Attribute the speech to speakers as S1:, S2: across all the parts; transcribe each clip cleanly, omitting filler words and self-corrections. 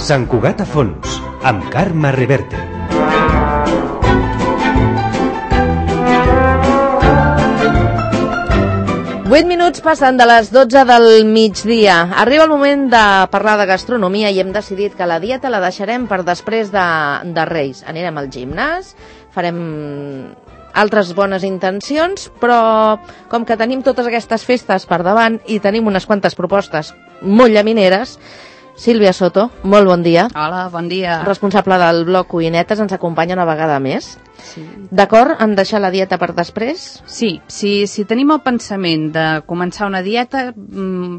S1: Sant Cugat a fons, amb Carme Reverte.
S2: Vuit minuts passen de les 12 del migdia. Arriba el moment de parlar de gastronomia i hem decidit que la dieta la deixarem per després de Reis. Anirem al gimnàs, farem altres bones intencions, però com que tenim totes aquestes festes per davant i tenim unes quantes propostes molt llamineres, Sílvia Soto, molt bon dia.
S3: Hola, bon dia.
S2: Responsable del blog Cuinetes, ens acompanya una vegada més.
S3: Sí.
S2: D'acord en deixar la dieta per després?
S3: Sí, si tenim el pensament de començar una dieta,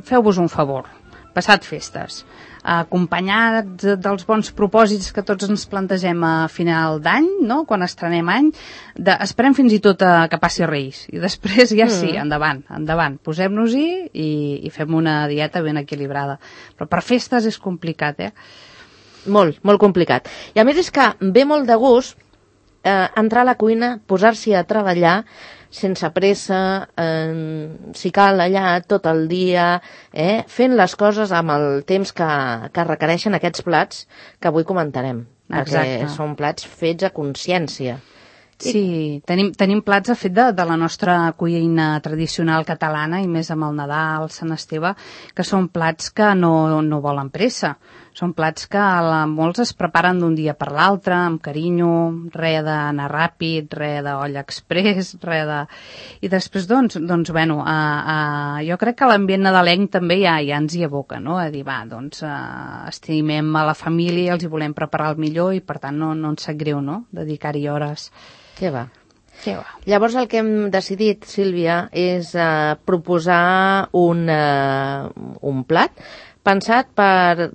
S3: feu-vos un favor, passat festes, acompanyats dels bons propòsits que tots ens plantegem a final d'any, no? Quan estrenem any, esperem fins i tot que passi Reis, i després ja sí, endavant, posem-nos-hi i fem una dieta ben equilibrada. Però per festes és complicat,
S2: Molt complicat. I a més és que ve molt de gust entrar a la cuina, posar-s'hi a treballar sense pressa, si cal allà tot el dia, fent les coses amb el temps que requereixen aquests plats que avui comentarem.
S3: Exacte.
S2: Perquè són plats fets a consciència.
S3: Sí, tenim plats fet de la nostra cuina tradicional catalana, i més amb el Nadal, Sant Esteve, que són plats que no volen pressa. Són plats que molts es preparen d'un dia per l'altre, amb carinyo, res d'anar ràpid, res d'olla express, res de... I després, bueno, jo crec que l'ambient nadalenc també ja ens hi aboca, no? A dir, estimem a la família i els hi volem preparar el millor i, per tant, no ens sap greu, no?, dedicar-hi hores.
S2: Què va? Llavors el que hem decidit, Sílvia, és proposar un plat pensat per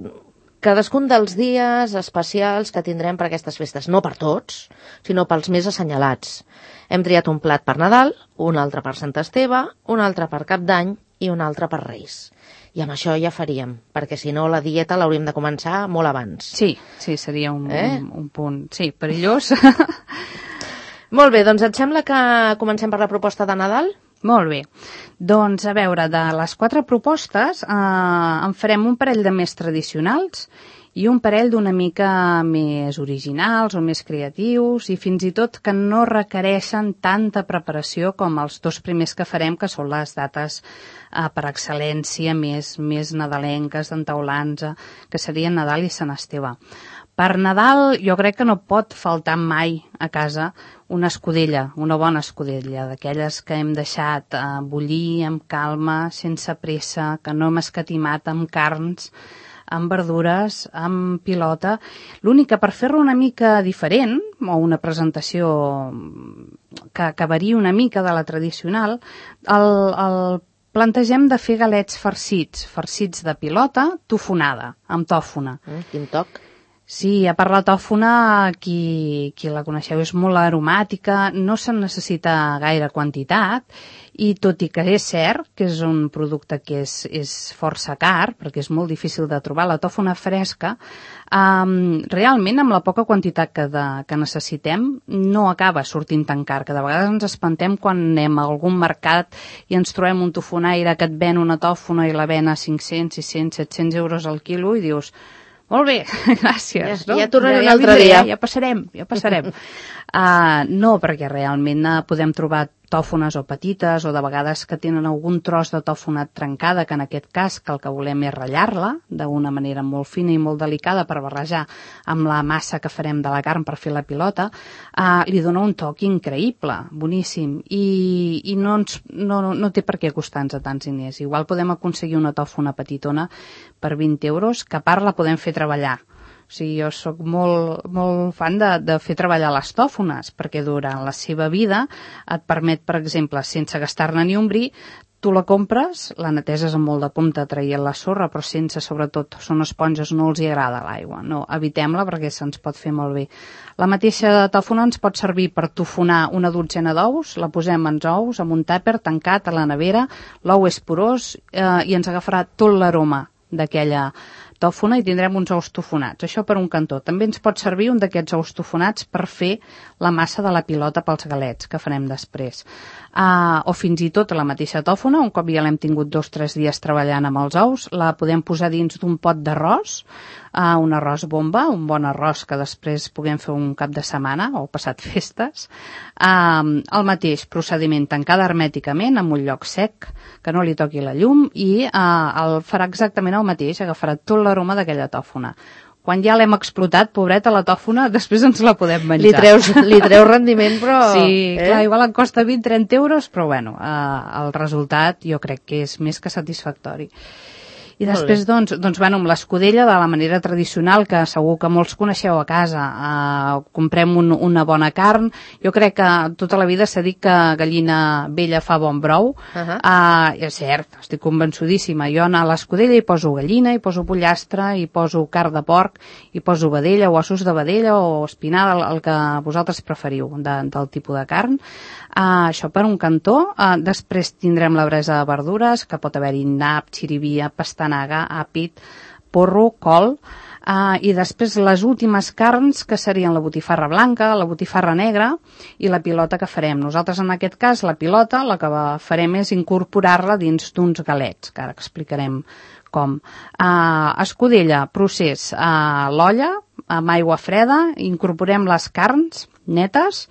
S2: cadascun dels dies especials que tindrem per aquestes festes. No per tots, sinó pels més assenyalats. Hem triat un plat per Nadal, un altre per Sant Esteve, un altre per Cap d'Any i un altre per Reis. I amb això ja faríem, perquè si no la dieta l'hauríem de començar molt abans.
S3: Sí, seria un punt, sí, perillós.
S2: Molt bé, doncs et sembla que comencem per la proposta de Nadal?
S3: Molt bé. Doncs, a veure, de les 4 propostes en farem un parell de més tradicionals i un parell d'una mica més originals o més creatius i fins i tot que no requereixen tanta preparació com els 2 primers que farem, que són les dates per excel·lència més nadalenques, d'entaulants, que serien Nadal i Sant Esteve. Per Nadal jo crec que no pot faltar mai a casa una escudella, una bona escudella, d'aquelles que hem deixat bullir amb calma, sense pressa, que no hem escatimat amb carns, amb verdures, amb pilota. L'únic que per fer-lo una mica diferent, o una presentació que varia una mica de la tradicional, el plantegem de fer galets farcits de pilota tofonada, amb tòfona.
S2: Quin toc!
S3: Sí, a part la tòfona, qui la coneixeu, és molt aromàtica, no se'n necessita gaire quantitat, i tot i que és cert que és un producte que és força car, perquè és molt difícil de trobar la tòfona fresca, realment amb la poca quantitat que necessitem no acaba sortint tan car, que de vegades ens espantem quan anem a algun mercat i ens trobem un tofonaire que et ven una tòfona i la ven a 500, 600, 700 euros al quilo i dius... Molt bé, gràcies.
S2: Ja tornaré un altre dia.
S3: Ja passarem. No, perquè realment podem trobar tòfones o petites o de vegades que tenen algun tros de tòfona trencada, que en aquest cas que el que volem és ratllar-la d'una manera molt fina i molt delicada per barrejar amb la massa que farem de la carn per fer la pilota, li dona un toc increïble, boníssim, i no té per què costar-nos tants diners. Igual podem aconseguir una tòfona petitona per 20 euros, que a part la podem fer treballar. O sigui, jo sóc molt fan de fer treballar les tòfones, perquè durant la seva vida et permet, per exemple, sense gastar-ne ni un bri, tu la compres, la neteses amb molt de compte traient la sorra, però sense, sobretot, són esponges, no els hi agrada l'aigua. No, evitem-la perquè se'ns pot fer molt bé. La mateixa tòfona ens pot servir per tofonar una dotzena d'ous, la posem en ous, amb un tàper tancat a la nevera, l'ou és porós i ens agafarà tot l'aroma d'aquella tòfona i tindrem uns ous tofonats. Això per un cantó. També ens pot servir un d'aquests ous tofonats per fer la massa de la pilota pels galets que farem després. O fins i tot la mateixa tòfona, un cop ja l'hem tingut 2 o 3 dies treballant amb els ous, la podem posar dins d'un pot d'arròs, un arròs bomba, un bon arròs que després puguem fer un cap de setmana o passat festes. El mateix procediment, tancada hermèticament amb un lloc sec, que no li toqui la llum, i farà exactament el mateix, agafarà tot l'aroma d'aquella tòfona. Quan ja l'hem explotat, pobreta, la tòfona, després ens la podem menjar.
S2: Li treus rendiment, però...
S3: Sí, clar, igual en costa 20-30 euros, però bueno, el resultat jo crec que és més que satisfactori. I després, doncs, bueno, amb l'escudella de la manera tradicional, que segur que molts coneixeu a casa, comprem una bona carn. Jo crec que tota la vida s'ha dit que gallina vella fa bon brou. És cert, estic convençudíssima. Jo a l'escudella hi poso gallina, hi poso pollastre, hi poso carn de porc, hi poso vedella, o ossos de vedella, o espinada, el que vosaltres preferiu del tipus de carn. Això per un cantó. Després tindrem la bresa de verdures, que pot haver-hi nap, xirivia, pastanaga, àpid, porro, col, i després les últimes carns, que serien la botifarra blanca, la botifarra negra i la pilota que farem. Nosaltres, en aquest cas, la pilota, la que farem és incorporar-la dins d'uns galets, que ara explicarem com. Escudella, procés, l'olla, amb aigua freda, incorporem les carns netes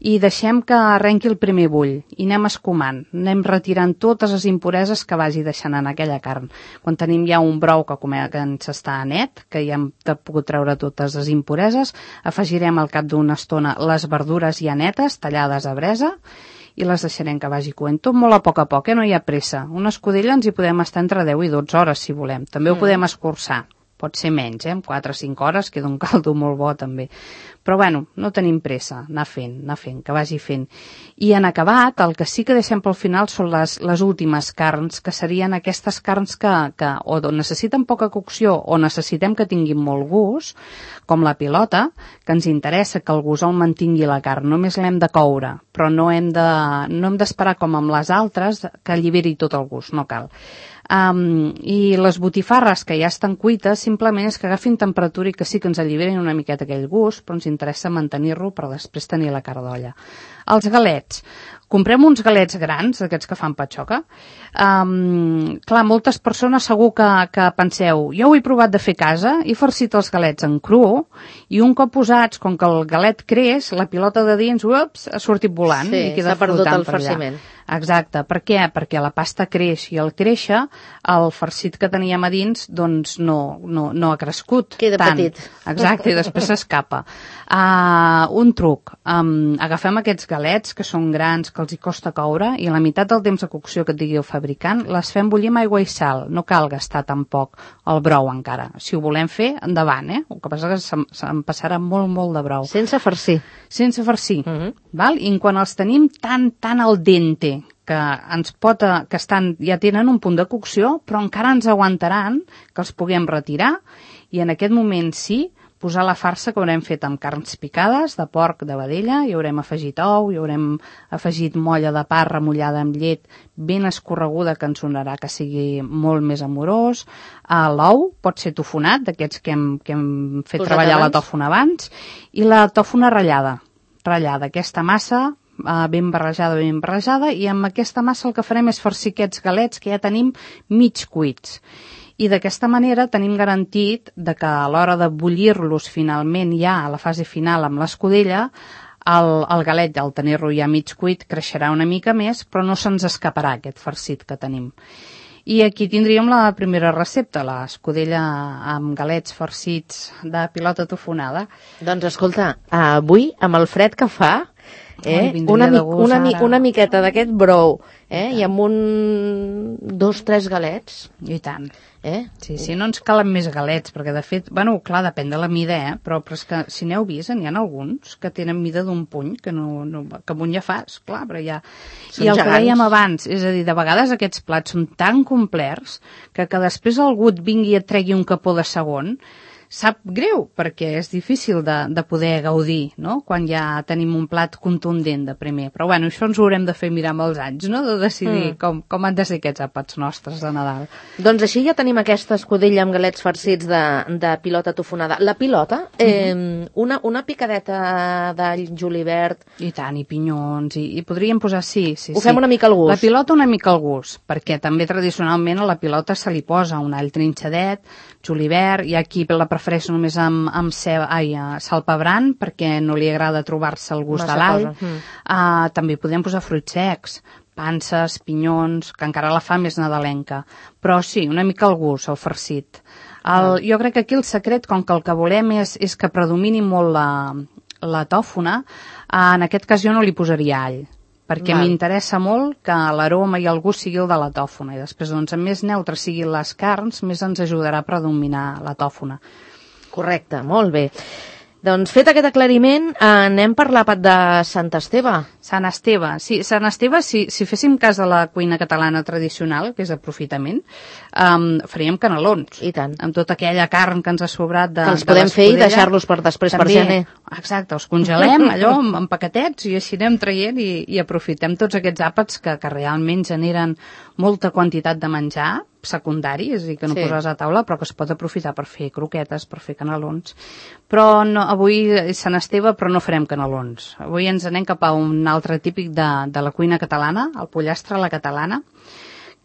S3: i deixem que arrenqui el primer bull i anem escumant, anem retirant totes les impureses que vagi deixant en aquella carn. Quan tenim ja un brou que ens està net, que ja hem pogut treure totes les impureses, afegirem al cap d'una estona les verdures ja netes, tallades a bresa, i les deixarem que vagi coent tot molt a poc, no hi ha pressa. Una escudella ens hi podem estar entre 10 i 12 hores, si volem. També ho podem escurçar. Pot ser menys, 4 o 5 hores, queda un caldo molt bo també. Però bueno, no tenim pressa, anar fent, que vagi fent. I en acabat, el que sí que deixem pel final són les últimes carns, que serien aquestes carns que o necessiten poca cocció o necessitem que tinguin molt gust, com la pilota, que ens interessa que el gust el mantingui la carn, només l'hem de coure, però no hem d'esperar com amb les altres que alliberi tot el gust, no cal. I les botifarres que ja estan cuites simplement és que agafin temperatura i que sí que ens alliberin una miqueta aquell gust, però ens interessa mantenir-lo per després tenir la carn d'olla. Els galets. Comprem uns galets grans, d'aquests que fan patxoca. Clar, moltes persones segur que penseu, jo ho he provat de fer a casa, he farcit els galets en cru i un cop posats, com que el galet creix, la pilota de dins, ha sortit volant i queda flotant per allà. Exacte. Per què? Perquè la pasta creix i al créixer el farcit que teníem a dins doncs no ha crescut.
S2: Queda
S3: tant.
S2: Petit.
S3: Exacte, i després s'escapa. Un truc. Agafem aquests galets que són grans, que els hi costa coure, i la meitat del temps de cocció que et digui el fabricant les fem bullir amb aigua i sal. No cal gastar tampoc el brou encara. Si ho volem fer, endavant, El que passa és que se'n passarà molt, molt de brou.
S2: Sense farcir.
S3: Sense farcir. Val? I quan els tenim tan al dente, que ja tenen un punt de cocció, però encara ens aguantaran que els puguem retirar i en aquest moment sí posar la farsa que haurem fet amb carns picades, de porc, de vedella, hi haurem afegit ou, hi haurem afegit molla de pa remullada amb llet ben escorreguda que ens donarà que sigui molt més amorós. L'ou pot ser tofonat, d'aquests que hem fet treballar la tòfona abans, i la tòfona ratllada, aquesta massa ben barrejada, i amb aquesta massa el que farem és farcir aquests galets que ja tenim mig cuits. I d'aquesta manera tenim garantit que a l'hora de bullir-los finalment ja a la fase final amb l'escudella, el galet, al tenir-lo ja mig cuit, creixerà una mica més, però no se'ns escaparà aquest farcit que tenim. I aquí tindríem la primera recepta, l'escudella amb galets farcits de pilota tofonada.
S2: Doncs escolta, avui, amb el fred que fa, una miqueta d'aquest brou, i amb 2-3 galets.
S3: I tant. Sí, no ens calen més galets, perquè de fet, clar, depèn de la mida, però és que si n'heu vist, n'hi ha alguns que tenen mida d'un puny, que amb un ja fas, clar, però ja... I el que dèiem abans, és a dir, de vegades aquests plats són tan complets que després algú et vingui i et tregui un capó de segon, Sap greu, perquè és difícil de poder gaudir, no?, quan ja tenim un plat contundent de primer. Però bueno, això ens ho haurem de fer mirar amb els anys, no?, de decidir com han de ser aquests àpats nostres de Nadal.
S2: Doncs així ja tenim aquesta escudella amb galets farcits de pilota tofonada. La pilota, una picadeta d'all, julivert...
S3: I tant, i pinyons, i podríem posar, sí.
S2: Ho fem una mica al gust.
S3: La pilota una mica al gust, perquè també tradicionalment a la pilota se li posa un all trinxadet, julivert, i aquí la prefereixo només amb sal pebrant, perquè no li agrada trobar-se el gust de l'all. També podem posar fruits secs, panses, pinyons, que encara la fa més nadalenca. Però sí, una mica al gust, el farcit. Jo crec que aquí el secret, com que el que volem és que predomini molt la tòfona, en aquest cas jo no li posaria all, perquè m'interessa molt que l'aroma i el gust sigui el de la tòfona, i després, doncs, a més neutre siguin les carns, més ens ajudarà a predominar la tòfona.
S2: Correcte, molt bé. Doncs fet aquest aclariment, anem per l'àpat de Sant Esteve.
S3: Sant Esteve, sí. Sant Esteve, si féssim cas de la cuina catalana tradicional, que és aprofitament, faríem canelons.
S2: I tant.
S3: Amb tota aquella carn que ens ha sobrat de
S2: que els podem fer i deixar-los per després també, per gener.
S3: Exacte, els congelem allò en paquetets i així anem traient i aprofitem tots aquests àpats que realment generen molta quantitat de menjar secundari, és a dir, que no poses a taula, però que es pot aprofitar per fer croquetes, per fer canelons. Però no, avui és Sant Esteve, però no farem canelons. Avui ens anem cap a un altre típic de la cuina catalana, el pollastre a la catalana,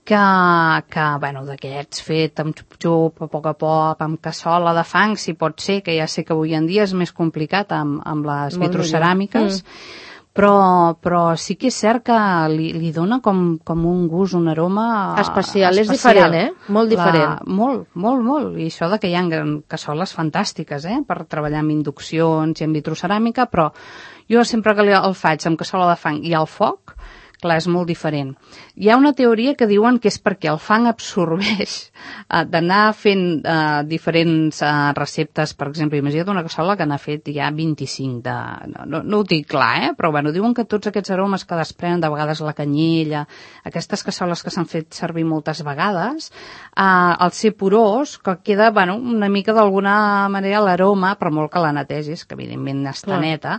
S3: que bueno, d'aquests fet amb xup-xup, a poc, amb cassola de fang, si pot ser, que ja sé que avui en dia és més complicat amb les vitroceràmiques, però sí que és cert que li dona com un gust, un aroma
S2: especial. És diferent, Molt diferent.
S3: Molt. I això que hi ha cassoles fantàstiques, per treballar amb induccions i amb vitroceràmica, però jo sempre que el faig amb cassola de fang i al foc, clar, és molt diferent. Hi ha una teoria que diuen que és perquè el fang absorbeix d'anar fent diferents receptes. Per exemple, imagina't una cassola que n'ha fet ja 25 no ho dic clar, però bueno, diuen que tots aquests aromes que desprenen, de vegades la canyella, aquestes cassoles que s'han fet servir moltes vegades, al ser porós, que queda, bueno, una mica d'alguna manera l'aroma, per molt que la netegis, que evidentment està neta,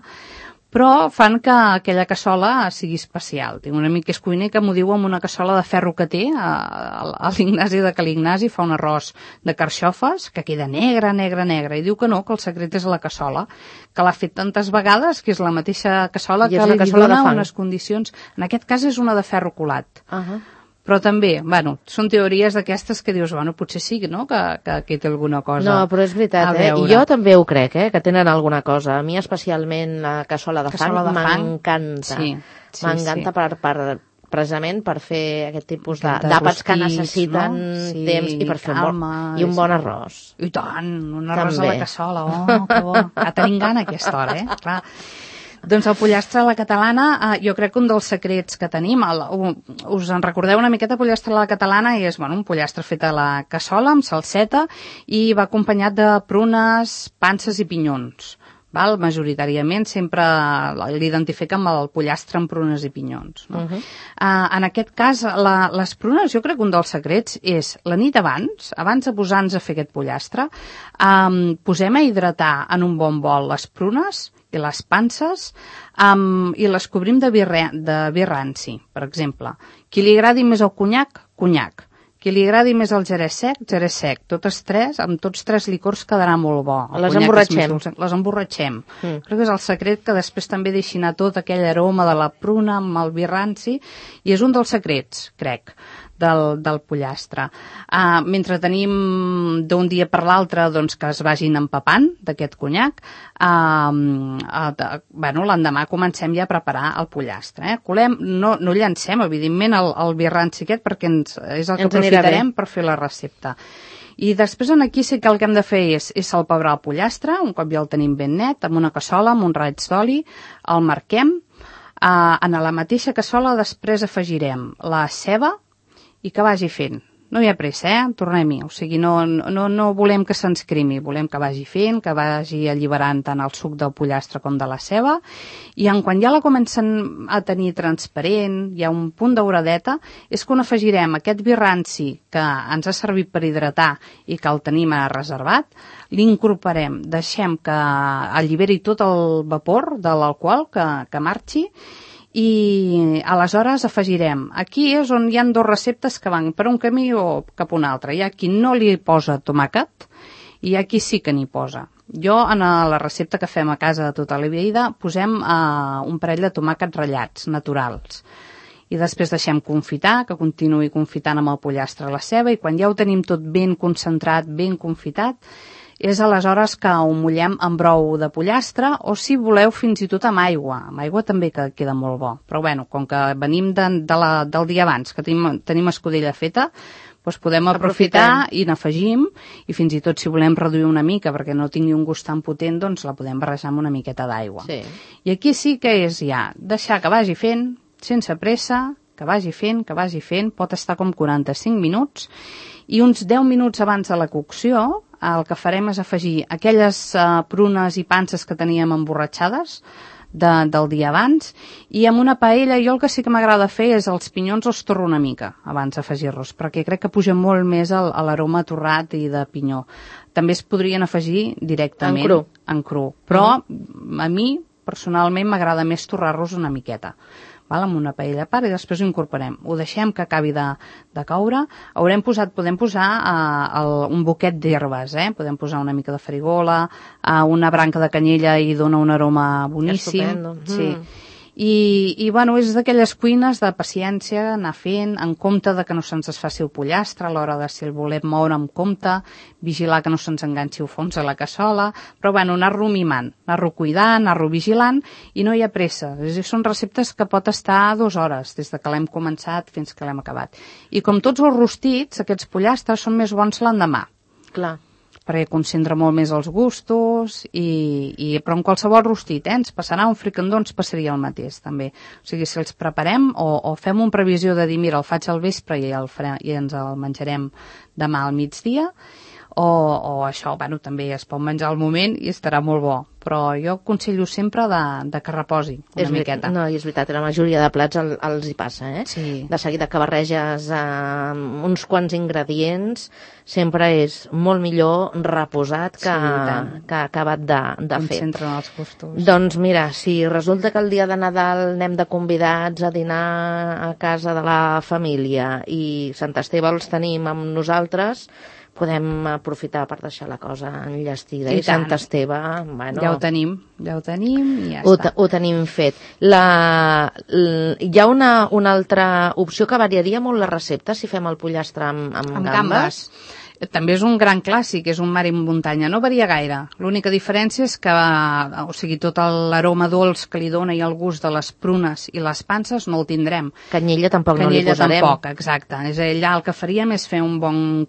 S3: però fan que aquella cassola sigui especial. Tinc un amic que és cuiner que m'ho diu amb una cassola de ferro que té a l'Ignasi de Cal Ignasi, fa un arròs de carxofes que queda negre, i diu que no, que el secret és la cassola, que l'ha fet tantes vegades que és la mateixa cassola que li dona unes condicions. En aquest cas és una de ferro colat. Però també, bueno, són teories d'aquestes que dius, bueno, potser sí, no?, que aquí té alguna cosa.
S2: No, però és veritat, I jo també ho crec, que tenen alguna cosa. A mi especialment la cassola de fang m'encanta. M'encanta precisament per fer aquest tipus d'àpats que necessiten temps i per fer i un bon arròs.
S3: I tant, un arròs a la cassola, que bo. Tenim gana a aquesta hora, clar. Doncs el pollastre a la catalana, jo crec que un dels secrets que tenim, us en recordeu una miqueta, pollastre a la catalana, és un pollastre fet a la cassola amb salseta i va acompanyat de prunes, panses i pinyons. Majoritàriament sempre l'identifica amb el pollastre amb prunes i pinyons. En aquest cas, les prunes, jo crec que un dels secrets és la nit abans de posar-nos a fer aquest pollastre, posem a hidratar en un bon bol les prunes i les panses i les cobrim de vi ranci, per exemple. Qui li agradi més el conyac, conyac. Qui li agradi més el jerez sec. Amb tots tres licors quedarà molt bo.
S2: Les emborratxem.
S3: Les emborratxem. Crec que és el secret que després també deixi anar tot aquell aroma de la pruna amb el vi ranci, i és un dels secrets, crec, del pollastre. Mentre tenim d'un dia per l'altre que es vagin empapant d'aquest conyac, l'endemà comencem ja a preparar el pollastre. No llancem, evidentment, el vi ranci aquest, perquè és el que aprofitarem per fer la recepta. I després aquí sí que el que hem de fer és salpebrar el pollastre, un cop ja el tenim ben net, amb una cassola, amb un raig d'oli, el marquem. En la mateixa cassola després afegirem la ceba i que vagi fent. No hi ha pressa, tornem-hi. O sigui, no volem que se'ns crimi, volem que vagi fent, que vagi alliberant tant el suc del pollastre com de la ceba, i quan ja la comencen a tenir transparent, hi ha un punt dauradeta, és quan afegirem aquest vi ranci que ens ha servit per hidratar i que el tenim reservat, l'incorporem, deixem que alliberi tot el vapor de l'alcohol que marxi, i aleshores afegirem. Aquí és on hi ha dues receptes que van per un camí o cap un altre. Hi ha qui no li posa tomàquet i hi ha qui sí que n'hi posa. Jo, en la recepta que fem a casa de tota la vida, posem un parell de tomàquets ratllats, naturals. I després deixem confitar, que continuï confitant amb el pollastre a la ceba, i quan ja ho tenim tot ben concentrat, ben confitat, és aleshores que ho mullem amb brou de pollastre, o si voleu fins i tot amb aigua. Amb aigua també queda molt bo. Però bueno, com que venim del dia abans, que tenim escudella feta, doncs podem aprofitar i n'afegim, i fins i tot si volem reduir una mica perquè no tingui un gust tan potent, doncs la podem barrejar amb una miqueta d'aigua.
S2: Sí.
S3: I aquí sí que és ja deixar que vagi fent, sense pressa, que vagi fent, pot estar com 45 minuts, i uns 10 minuts abans de la cocció el que farem és afegir aquelles prunes i panses que teníem emborratxades del dia abans, i amb una paella jo el que sí que m'agrada fer és els pinyons els torro una mica abans d'afegir-los, perquè crec que puja molt més l'aroma torrat i de pinyó. També es podrien afegir directament en cru. Però a mi personalment m'agrada més torrar-los una miqueta, amb una paella a part, i després ho incorporem. Ho deixem que acabi de coure. Podem posar un boquet d'herbes, podem posar una mica de farigola, una branca de canyella, i dona un aroma boníssim.
S2: Estupendo.
S3: Sí. I bueno, és d'aquelles cuines de paciència, anar fent, en compte de que no se'ns desfaci el pollastre, a l'hora de si el volem moure amb compte, vigilar que no se'ns enganxi el fons a la cassola, però bueno, anar-lo mimant, anar-lo cuidant, anar-lo vigilant, i no hi ha pressa. Són receptes que pot estar 2 hores, des de que l'hem començat fins que l'hem acabat. I com tots els rostits, aquests pollastres són més bons l'endemà.
S2: Clar.
S3: Perquè concentra molt més els gustos, però en qualsevol rostit, ens passarà un fricandó, ens passaria el mateix, també. O sigui, si els preparem o fem una previsió de dir, mira, el faig al vespre i ens el menjarem demà al migdia, o això, bueno, també es pot menjar al moment i estarà molt bo, però jo aconsello sempre de que reposi una miqueta.
S2: No, i és veritat, la majoria de plats els hi passa,
S3: Sí.
S2: De seguida que barreges uns quants ingredients, sempre és molt millor reposat que acabat de fer.
S3: Concentren els gustos.
S2: Doncs mira, si resulta que el dia de Nadal anem de convidats a dinar a casa de la família i Sant Esteve els tenim amb nosaltres, podem aprofitar per deixar la cosa enllestida. I Sant Esteve, bueno...
S3: Ja ho tenim i ja està.
S2: Ho tenim fet. Hi ha una altra opció que variaria molt la recepta si fem el pollastre amb gambes.
S3: També és un gran clàssic, és un mar i muntanya. No varia gaire. L'única diferència és que, o sigui, tot l'aroma dolç que li dona i el gust de les prunes i les panses no el tindrem.
S2: Canyella tampoc no li posarem.
S3: Canyella tampoc, exacte. És allà el que faríem és fer un bon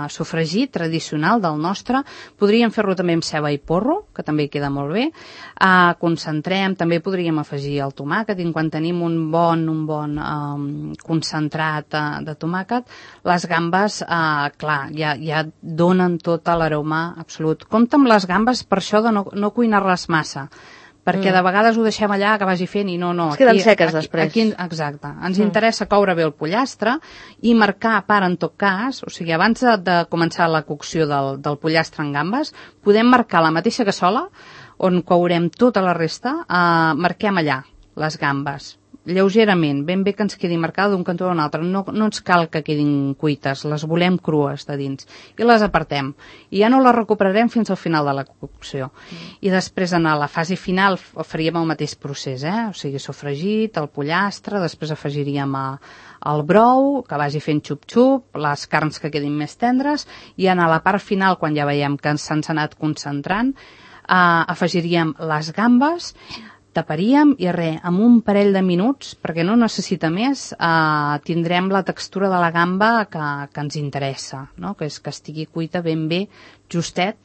S3: sofregit tradicional del nostre. Podríem fer-lo també amb ceba i porro, que també hi queda molt bé. Concentrem, també podríem afegir el tomàquet, i quan tenim un bon concentrat de tomàquet, les gambes, clar, ja donen tot l'aroma absolut. Compte amb les gambes per això de no cuinar-les massa, perquè de vegades ho deixem allà que vagi fent i no.
S2: Es queden seques després.
S3: Exacte. Ens interessa coure bé el pollastre i marcar a part, en tot cas, o sigui, abans de començar la cocció del pollastre en gambes, podem marcar la mateixa cassola on courem tota la resta, marquem allà les gambes, lleugerament, ben bé que ens quedi marcada d'un cantó a un altre. No ens cal que quedin cuites, les volem crues de dins, i les apartem, i ja no les recuperarem fins al final de la cocció. I després, en la fase final, faríem el mateix procés, o sigui, sofregit, el pollastre, després afegiríem el brou, que vagi fent xup-xup, les carns que quedin més tendres, i en la part final, quan ja veiem que se'ns ha anat concentrant, afegiríem les gambes, taparíem i amb un parell de minuts, perquè no necessita més, tindrem la textura de la gamba que ens interessa, no? Que és que estigui cuita ben bé, justet,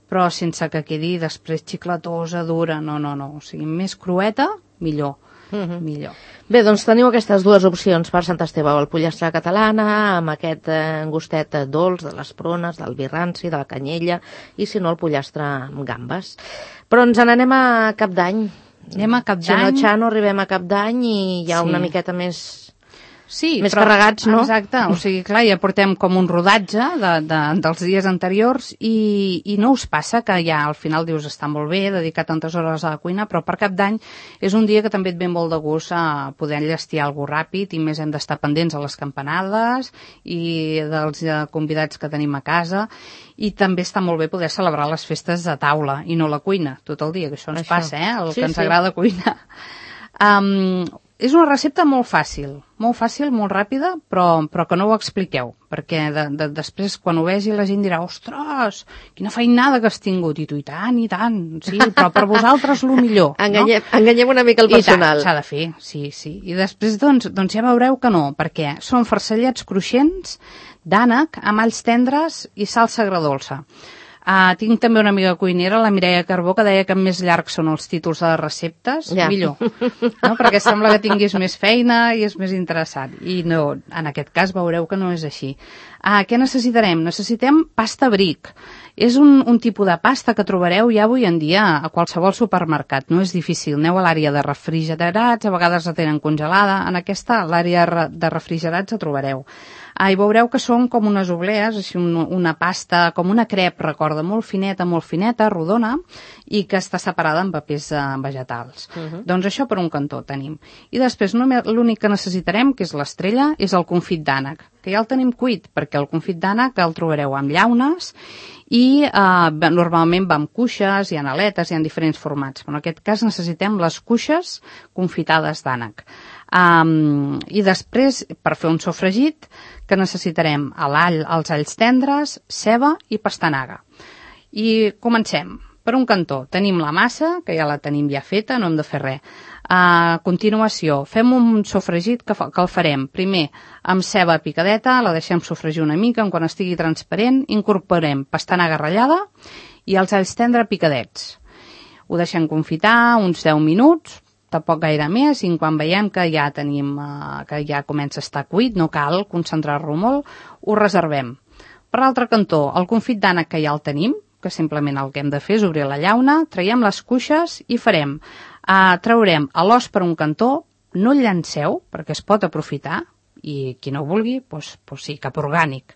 S3: però sense que quedi després xiclatosa, dura, no. O sigui, més crueta, millor. millor.
S2: Bé, doncs teniu aquestes dues opcions per Sant Esteve, el pollastre a la catalana, amb aquest gustet dolç de les prunes, del vi ranci, de la canyella, i si no, el pollastre amb gambes. Però ens n'anem a Cap d'Any.
S3: Anem a Cap d'Any.
S2: Xino, arribem a Cap d'Any i ja una miqueta més...
S3: Sí,
S2: més carregats, no?
S3: Exacte, o sigui, clar, ja portem com un rodatge dels dies anteriors i no us passa que ja al final dius està molt bé dedicar tantes hores a la cuina, però per Cap d'Any és un dia que també et ve molt de gust a poder enllestir alguna cosa ràpid i més hem d'estar pendents a les campanades i dels convidats que tenim a casa i també està molt bé poder celebrar les festes a taula i no a la cuina tot el dia, que això ens passa, el que ens agrada cuinar. És una recepta molt fàcil, molt ràpida, però que no ho expliqueu, perquè després quan ho vegi la gent dirà ostres, quina feinada que has tingut, i tu i tant, sí, però per vosaltres lo millor.
S2: Enganyem una mica el personal.
S3: I tant, s'ha de fer, sí. I després doncs ja veureu que no, perquè són farcellets cruixents d'ànec amb alls tendres i salsa agredolça. Tinc també una amiga cuinera, la Mireia Carbó, que deia que més llargs són els títols de les receptes, millor. No? Perquè sembla que tinguis més feina i és més interessant. I no, en aquest cas veureu que no és així. Què necessitarem? Necessitem pasta bric. És un tipus de pasta que trobareu ja avui en dia a qualsevol supermercat. No és difícil. Aneu a l'àrea de refrigerats, a vegades la tenen congelada. En aquesta, l'àrea de refrigerats, la trobareu. I veureu que són com unes oblees, així una pasta, com una crep, recorda, molt fineta, rodona, i que està separada en papers vegetals. Doncs això per un cantó tenim. I després l'únic que necessitarem, que és l'estrella, és el confit d'ànec, que ja el tenim cuit, perquè el confit d'ànec el trobareu amb llaunes i normalment va amb cuixes, hi ha aletes, hi ha diferents formats. Però en aquest cas necessitem les cuixes confitades d'ànec. I després, per fer un sofregit, que necessitarem els alls tendres, ceba i pastanaga. I comencem. Per un cantó tenim la massa, que ja la tenim ja feta, no hem de fer res. A continuació, fem un sofregit que el farem primer amb ceba picadeta, la deixem sofregir una mica, quan estigui transparent, incorporem pastanaga ratllada i els alls tendres picadets. Ho deixem confitar uns 10 minuts, tampoc gaire més, i quan veiem que ja tenim, que ja comença a estar cuit, no cal concentrar-lo molt, ho reservem. Per l'altre cantó, el confit d'ànec que ja el tenim, que simplement el que hem de fer és obrir la llauna, traiem les cuixes i farem. Traurem l'os per un cantó, no el llanceu, perquè es pot aprofitar, i qui no ho vulgui, doncs sí, cap orgànic.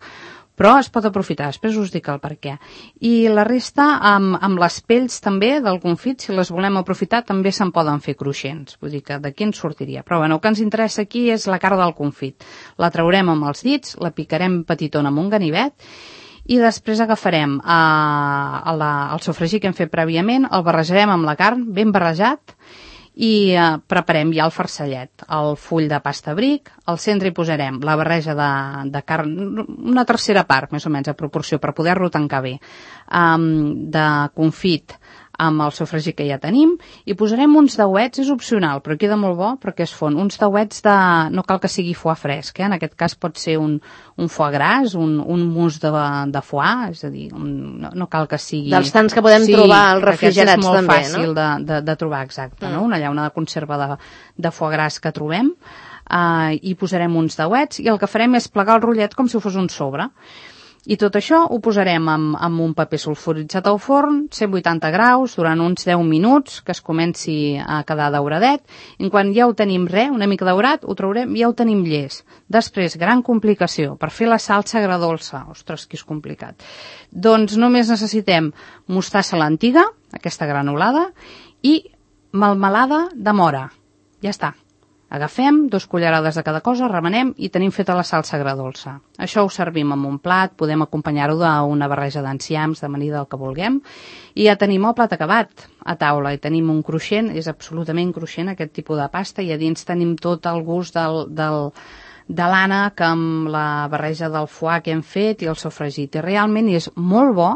S3: Però es pot aprofitar, després us dic el per què. I la resta, amb les pells també del confit, si les volem aprofitar, també se'n poden fer cruixents. Vull dir que d'aquí ens sortiria. Però bueno, el que ens interessa aquí és la carn del confit. La traurem amb els dits, la picarem petitona amb un ganivet, i després agafarem el sofregit que hem fet prèviament, el barrejarem amb la carn, ben barrejat, i preparem ja el farcellet, el full de pasta bric, al centre hi posarem la barreja de carn, una tercera part, més o menys, a proporció, per poder-lo tancar bé, de confit amb el sofregit que ja tenim, i posarem uns dauets, és opcional, però queda molt bo perquè es fon, uns dauets no cal que sigui foie fresc, en aquest cas pot ser un foie gras, un mousse de foie, és a dir, no cal que sigui...
S2: Dels tants que podem trobar als refrigerats també, no?
S3: És molt fàcil de trobar, exacte, no? Una llauna de conserva de foie gras que trobem, i posarem uns dauets, i el que farem és plegar el rotllet com si fos un sobre. I tot això ho posarem amb un paper sulfuritzat al forn, 180 graus, durant uns 10 minuts, que es comenci a quedar dauradet. I quan ja ho tenim una mica daurat, ho traurem i ja ho tenim llest. Després, gran complicació, per fer la salsa agredolça. Ostres, que és complicat. Doncs només necessitem mostassa a l'antiga, aquesta granulada, i melmelada de mora. Ja està. Agafem 2 cullerades de cada cosa, remenem i tenim feta la salsa agredolça. Això ho servim en un plat, podem acompanyar-ho d'una barreja d'enciams, d'amanida, del que vulguem, i ja tenim el plat acabat a taula, i tenim un cruixent, és absolutament cruixent aquest tipus de pasta, i a dins tenim tot el gust de l'ànec amb la barreja del foie que hem fet i el sofregit, i realment és molt bo.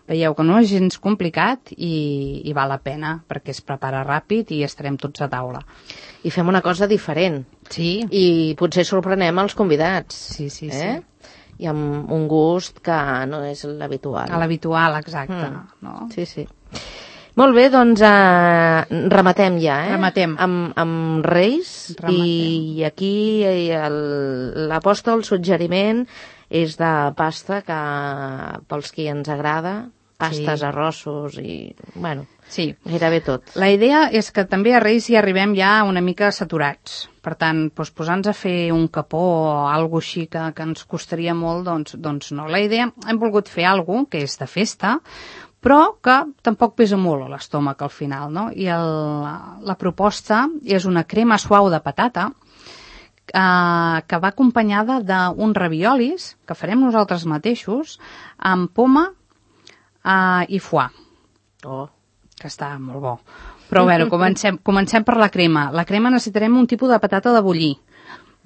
S3: Veieu que no és gens complicat i val la pena, perquè es prepara ràpid i estarem tots a taula.
S2: I fem una cosa diferent.
S3: Sí.
S2: I potser sorprenem els convidats.
S3: Sí.
S2: I amb un gust que no és l'habitual.
S3: A l'habitual, exacte.
S2: No? Sí. Molt bé, doncs rematem ja,
S3: Rematem.
S2: Amb Reis. I aquí l'aposta, el suggeriment és de pasta, que pels qui ens agrada, pastes, arrossos i, bueno,
S3: sí,
S2: gairebé tot.
S3: La idea és que també a Reis hi arribem ja una mica saturats. Per tant, doncs, posar-nos a fer un capó o alguna així que ens costaria molt, doncs no. La idea, hem volgut fer alguna que és de festa, però que tampoc pesa molt a l'estómac al final, no? I la proposta és una crema suau de patata que va acompanyada d'uns raviolis que farem nosaltres mateixos amb poma i foie.
S2: Oh,
S3: que està molt bo. Però bueno, comencem per la crema. La crema necessitarem un tipus de patata de bullir.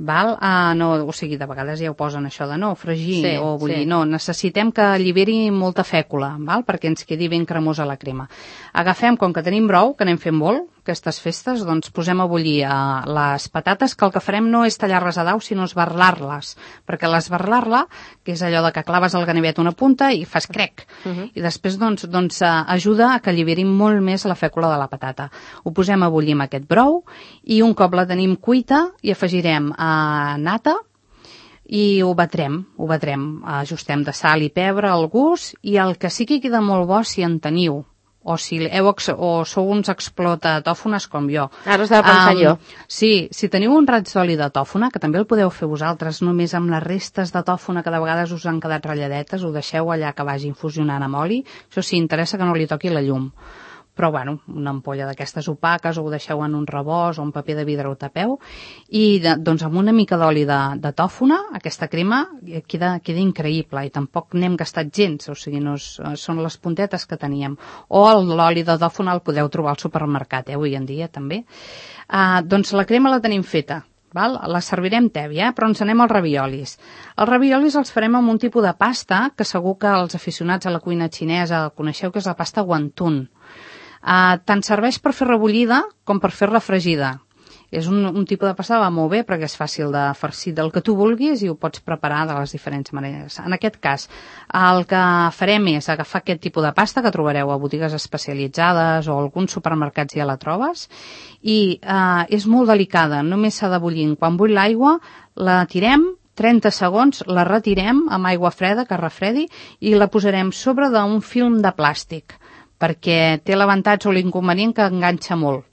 S3: Val? No, o sigui, de vegades ja ho posen això de no, fregir o bullir. Sí. No, necessitem que alliberi molta fècula, val? Perquè ens quedi ben cremosa la crema. Agafem, com que tenim brou, que n'hem fet molt, aquestes festes, doncs posem a bullir les patates, que el que farem no és tallar-les a daus, sinó esbarlar-les. Perquè l'esbarlar-la, que és allò de que claves el ganivet una punta i fas crec. I després doncs ajuda a que alliberi molt més la fècula de la patata. Ho posem a bullir amb aquest brou i un cop la tenim cuita hi afegirem nata i ho batrem, ajustem de sal i pebre al gust, i el que sí que queda molt bo, si en teniu, o sou uns explotatòfones com jo.
S2: Ara estava pensant jo.
S3: Sí, si teniu un raig d'oli de tòfona, que també el podeu fer vosaltres, només amb les restes de tòfona que de vegades us han quedat ratlladetes, ho deixeu allà que vagi infusionant amb oli, això sí, interessa que no li toqui la llum. Però, bueno, una ampolla d'aquestes opaques, o ho deixeu en un rebost o un paper de vidre ho tapeu, i doncs amb una mica d'oli de tòfona, aquesta crema queda increïble, i tampoc n'hem gastat gens, o sigui, són les puntetes que teníem. O l'oli de tòfona el podeu trobar al supermercat, avui en dia també. Doncs la crema la tenim feta. Val? La servirem tèbia, però ens anem als raviolis. Els raviolis els farem amb un tipus de pasta que segur que els aficionats a la cuina xinesa coneixeu, que és la pasta wonton. Tant serveix per fer rebullida com per fer refregida. És un tipus de pasta que va molt bé perquè és fàcil de farcir del que tu vulguis i ho pots preparar de les diferents maneres. En aquest cas, el que farem és agafar aquest tipus de pasta que trobareu a botigues especialitzades o alguns supermercats ja la trobes, i és molt delicada, només s'ha de bullir. Quan bull l'aigua, la tirem 30 segons, la retirem amb aigua freda que refredi i la posarem sobre d'un film de plàstic, perquè té l'avantatge o l'inconvenient que enganxa molt.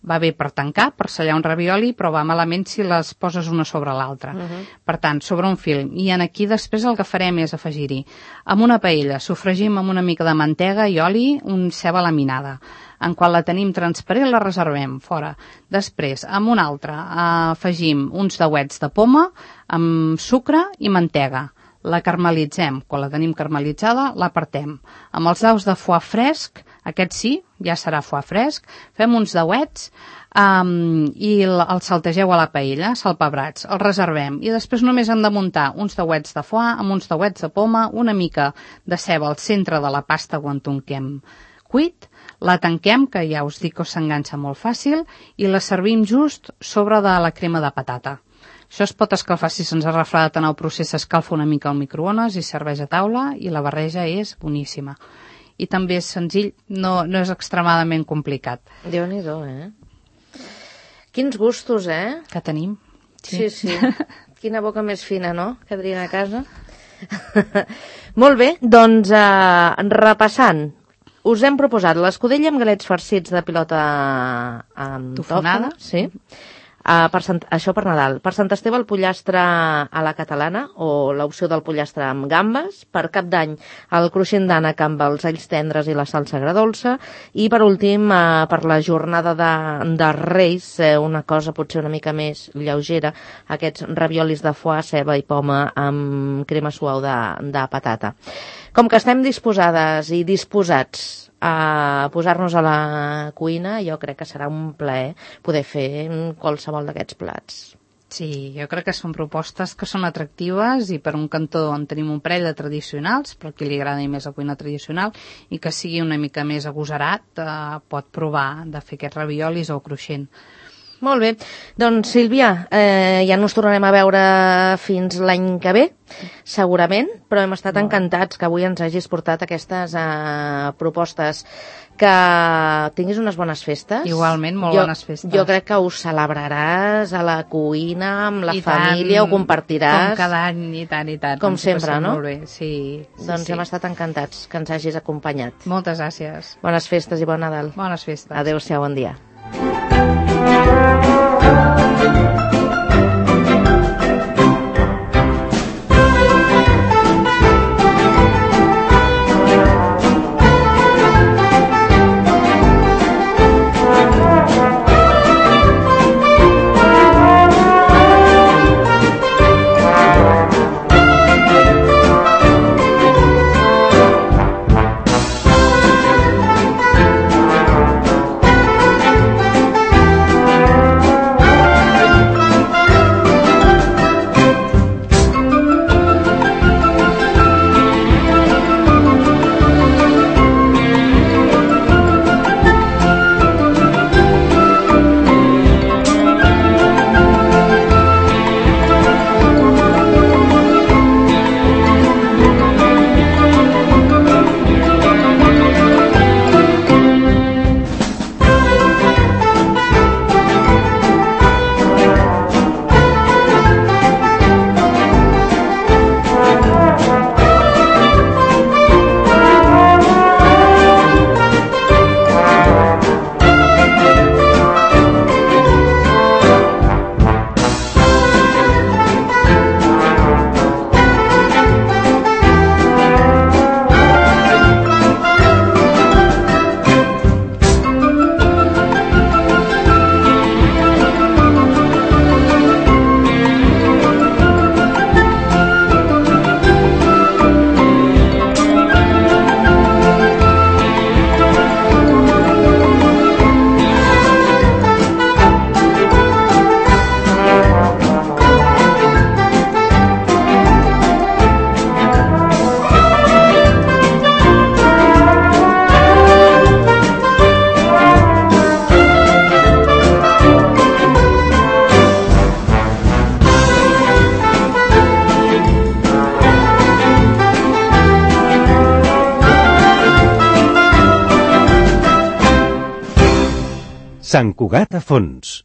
S3: Va bé per tancar, per sellar un ravioli, però va malament si les poses una sobre l'altra. Per tant, sobre un film. I aquí després el que farem és afegir-hi amb una paella, sofregim amb una mica de mantega i oli, un ceba laminada. En quan la tenim transparent la reservem fora. Després, amb una altra, afegim uns dauets de poma amb sucre i mantega. La carmelitzem. Quan la tenim carmelitzada, la apartem. Amb els daus de foie fresc, aquest sí, ja serà foie fresc, fem uns dauets i els saltegeu a la paella, salpebrats, els reservem. I després només hem de muntar uns dauets de foie amb uns dauets de poma, una mica de ceba al centre de la pasta wonton que hem cuit, la tanquem, que ja us dic que s'enganxa molt fàcil, i la servim just sobre de la crema de patata. Això es pot escalfar, si se'ns ha refredat en el procés, s'escalfa una mica al microones i serveix a taula, i la barreja és boníssima. I també és senzill, no és extremadament complicat.
S2: Déu-n'hi-do, Quins gustos,
S3: Que tenim.
S2: Sí. Quina boca més fina, no?, que tenien a casa. Molt bé, doncs repassant, us hem proposat l'escudella amb galets farcits de pilota amb
S3: tofonada.
S2: Sí. Això per Nadal. Per Sant Esteve el pollastre a la catalana, o l'opció del pollastre amb gambes. Per Cap d'Any el cruixent d'ànec amb els alls tendres i la salsa agredolça. I per últim, per la jornada de Reis, una cosa potser una mica més lleugera, aquests raviolis de foie, ceba i poma amb crema suau de patata. Com que estem disposades i disposats a posar-nos a la cuina, jo crec que serà un plaer poder fer qualsevol d'aquests plats.
S3: Sí, jo crec que són propostes que són atractives, i per un cantó en tenim un parell de tradicionals, per qui li agrada més la cuina tradicional, i que sigui una mica més agosarat pot provar de fer aquests raviolis o cruixent.
S2: Molt bé. Doncs, Sílvia, ja no ens tornarem a veure fins l'any que ve, segurament, però hem estat encantats que avui ens hagis portat aquestes propostes. Que tinguis unes bones festes.
S3: Igualment, molt bones festes.
S2: Jo crec que ho celebraràs a la cuina, amb la família, ho compartiràs.
S3: Com cada any, i tant, i tant.
S2: Com sempre, no?
S3: Molt bé, sí.
S2: Doncs hem estat encantats que ens hagis acompanyat.
S3: Moltes gràcies.
S2: Bones festes i bon Nadal.
S3: Bones festes.
S2: Adéu-siau, bon dia.
S1: Sant Cugat a fons.